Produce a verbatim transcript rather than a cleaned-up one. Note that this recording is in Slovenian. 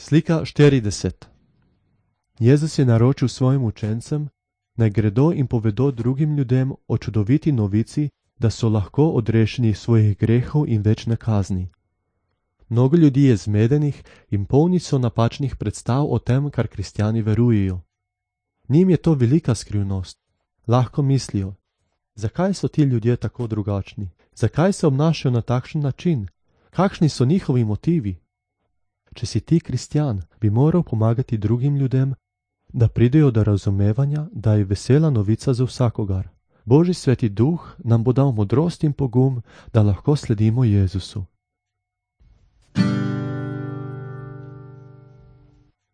Slika štirideset. Jezus je naročil svojim učencem, naj gredo in povedo drugim ljudem o čudoviti novici, da so lahko odrešeni svojih grehov in večne kazni. Mnogo ljudi je zmedenih in polni so napačnih predstav o tem, kar kristjani verujejo. Njim je to velika skrivnost. Lahko mislijo, zakaj so ti ljudje tako drugačni? Zakaj se obnašajo na takšen način? Kakšni so njihovi motivi? Če si ti kristjan, bi moral pomagati drugim ljudem, da pridejo do razumevanja, da je vesela novica za vsakogar. Božji sveti duh nam bo dal modrost in pogum, da lahko sledimo Jezusu.